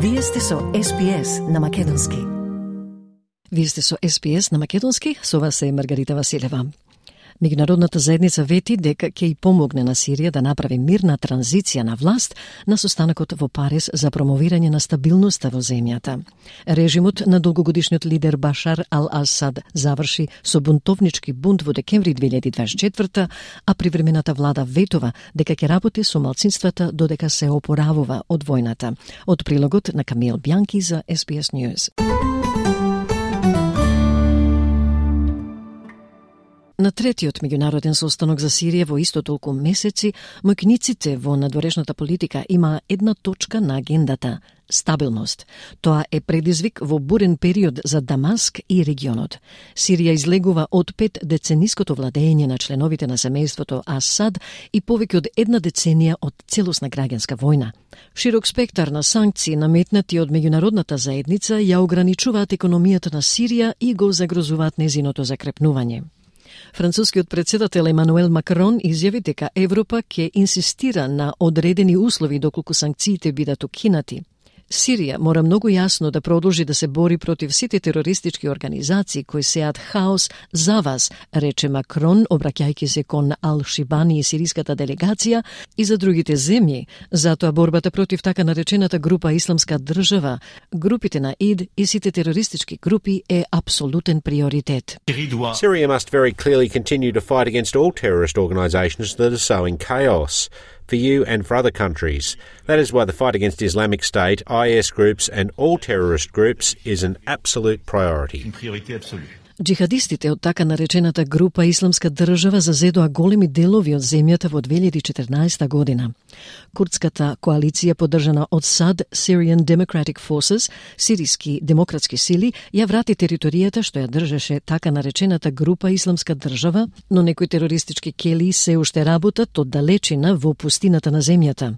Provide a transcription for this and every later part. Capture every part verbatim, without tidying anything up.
Вие сте со Ес Би Ес на македонски. Вие сте со Ес Би Ес на македонски, со вас е Маргарита Василева. Меѓународната заедница вети дека ќе и помогне на Сирија да направи мирна транзиција на власт на состанокот во Париз за промовирање на стабилноста во земјата. Режимот на долгогодишниот лидер Башар ал-Асад заврши со бунтовнички бунт во декември две илјади дваесет и четврта, а привремената влада ветува дека ќе работи со малцинствата додека се опоравува од војната. Од прилогот на Камил Бјанки за Ес Би Ес News. На третиот меѓународен состанок за Сирија во исто толку месеци, мојкниците во надворешната политика има една точка на агендата – стабилност. Тоа е предизвик во бурен период за Дамаск и регионот. Сирија излегува од пет децениското владење на членовите на семејството Асад и повеќе од една деценија од целосна граѓанска војна. Широк спектар на санкции наметнати од меѓународната заедница ја ограничуваат економијата на Сирија и го загрозуваат незиното закрепнување. Францускиот председател Емануел Макрон изјави дека Европа ќе инсистира на одредени услови доколку санкциите бидат укинати. Сирија мора многу јасно да продолжи да се бори против сите терористички организации кои сеат хаос за вас, рече Макрон, обраќајќи се кон Ал-Шибани и сириската делегација и за другите земји. Затоа борбата против така наречената група Исламска држава, групите на ИД и сите терористички групи е апсолутен приоритет. Syria must very clearly continue to fight against all terrorist organizations that are sowing chaos. For you and for other countries. That is why the fight against Islamic State, I S groups and all terrorist groups is an absolute priority. Джихадистите од така наречената група Исламска држава зазедоа големи делови од земјата во две илјади и четрнаесета година. Курдската коалиција поддржана од САД, Syrian Democratic Forces, сириски демократски сили, ја врати територијата што ја држеше така наречената група Исламска држава, но некои терористички келии се уште работат од далечина во пустината на земјата.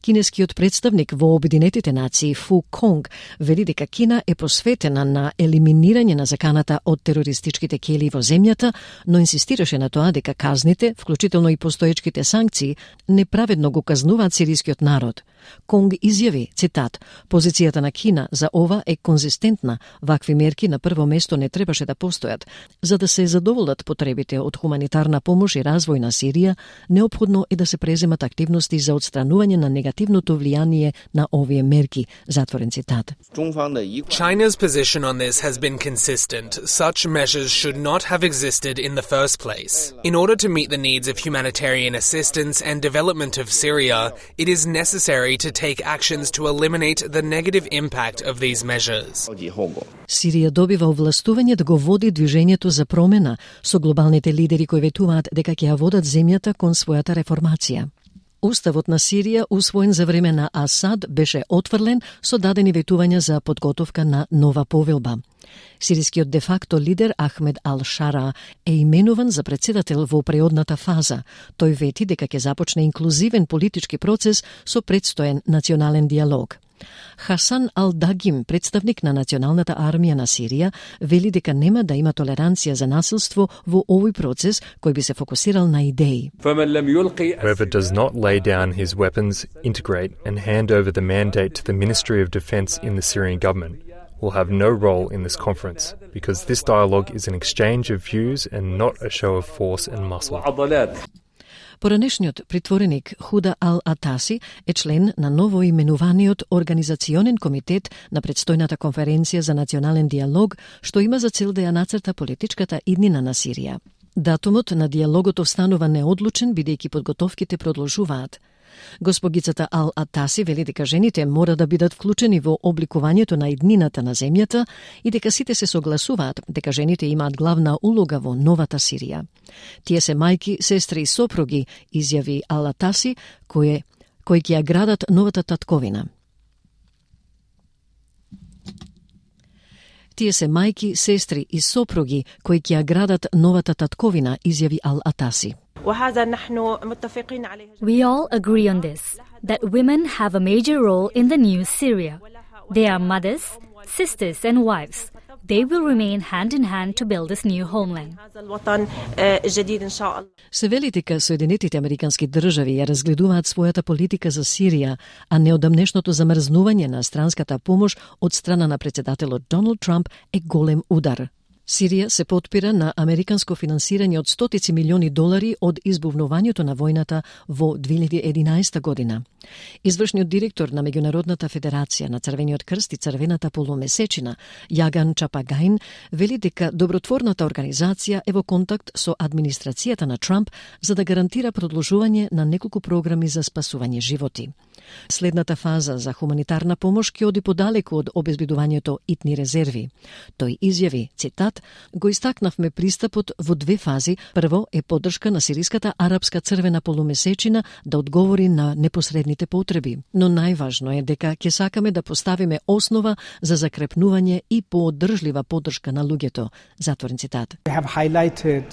Кинескиот представник во Обединетите нации Фу Конг вели дека Кина е посветена на елиминирање на заканата од терористичките келии во земјата, но инсистираше на тоа дека казните, вклучително и постоечките санкции, неправедно го казнуваат сирискиот народ. Конг изјави, цитат, позицијата на Кина за ова е конзистентна, вакви мерки на прво место не требаше да постојат. За да се задоволат потребите од хуманитарна помош и развој на Сирија, неопходно е да се преземат активности за отстранување на негативното влијание на овие мерки, затворен цитат. China's position on this has been consistent. Such measures should not have existed in the first place. In order to meet the needs of humanitarian assistance and development of Syria, it is necessary to take actions to eliminate the negative impact of these measures. Сирија добива овластување да го води движењето за промена со глобалните лидери кои ветуваат дека ќе ја водат земјата кон својата реформација. Уставот на Сирија, усвоен за време на Асад, беше отфрлен со дадени ветувања за подготовка на нова повелба. Сирискиот де-факто лидер Ахмед ал-Шара е именуван за председател во преодната фаза. Тој вети дека ќе започне инклузивен политички процес со предстоен национален диалог. Хасан ал-Дагим, представник на Националната армија на Сирија, вели дека нема да има толеранција за насилство во овој процес кој би се фокусирал на идеи. Whoever does not lay down his weapons, integrate and hand over the mandate to the Ministry of Defence in the Syrian government will have no role in this conference because this dialogue is an exchange of views and not a show of force and muscle. Поранешниот притвореник Худа ал-Атаси е член на новоименуваниот Организационен комитет на предстојната конференција за национален диалог, што има за цел да ја нацрта политичката иднина на Сирија. Датумот на диалогот останува неодлучен, бидејќи подготовките продолжуваат. Госпогицата Ал-Атаси вели дека жените мора да бидат вклучени во обликувањето на иднината на земјата и дека сите се согласуваат дека жените имаат главна улога во новата Сирија. Тие се мајки, сестри и сопруги, изјави Ал-Атаси, кои, кои ќе ја градат новата татковина. Тие се мајки, сестри и сопруги кои ќе ја градат новата татковина, изјави Ал-Атаси. We all agree on this, that women have a major role in the new Syria. They are mothers, sisters and wives. they will remain hand in hand to build this new homeland. Се вели дека Соединетите Американски држави ја разгледуваат својата политика за Сирија, а неодамнешното замрзнување на странската помош од страна на председателот Доналд Трамп е голем удар. Сирија се потпира на американско финансирање од стотици милиони долари од избувнувањето на војната во две илјади и единаесета година. Извршниот директор на Меѓународната федерација на Црвениот крст и Црвената полумесечина, Јаган Чапагаин, вели дека добротворната организација е во контакт со администрацијата на Трамп за да гарантира продолжување на неколку програми за спасување животи. Следната фаза за хуманитарна помош ќе оди подалеку од обезбедувањето итни резерви. Тој изјави, цитат, го истакнавме пристапот во две фази. Прво е поддршка на сириската арапска црвена полумесечина да одговори на непосредните потреби. Но најважно е дека ќе сакаме да поставиме основа за закрепнување и поодржлива поддршка на луѓето. Затворен цитат. We have highlighted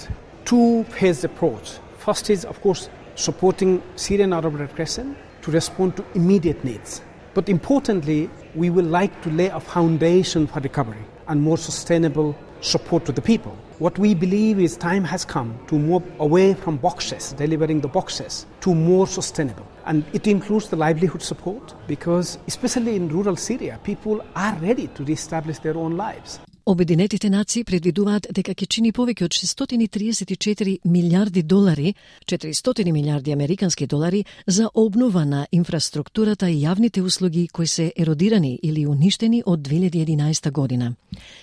two-phase approach. First is, of course, supporting Syrian Arab Red Crescent to respond to immediate needs. But importantly, we would like to lay a foundation for recovery and more sustainable support to the people. What we believe is time has come to move away from boxes, delivering the boxes, to more sustainable. And it includes the livelihood support because, especially in rural Syria, people are ready to reestablish their own lives. Обединетите нации предвидуваат дека ќе чини повеќе од шестстотини триесет и четири милијарди долари, четиристотини милијарди американски долари за обнова на инфраструктурата и јавните услуги кои се еродирани или уништени од две илјади и единаесета година.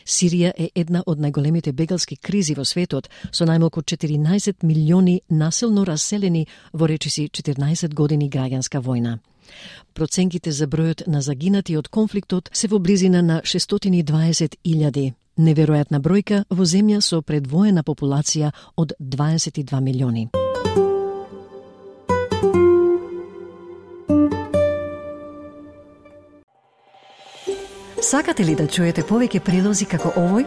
Сирија е една од најголемите бегалски кризи во светот, со најмалку четиринаесет милиони насилно раселени во речиси четирнаесет години граѓанска војна. Проценките за бројот на загинати од конфликтот се во близина на шестстотини и дваесет илјади. Неверојатна бројка во земја со предвоена популација од дваесет и два милиони. Сакате ли да чуете повеќе прилози како овој?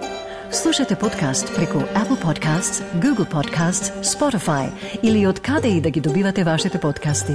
Слушате подкаст преку Apple Podcasts, Google Podcasts, Spotify или од каде и да ги добивате вашите подкасти.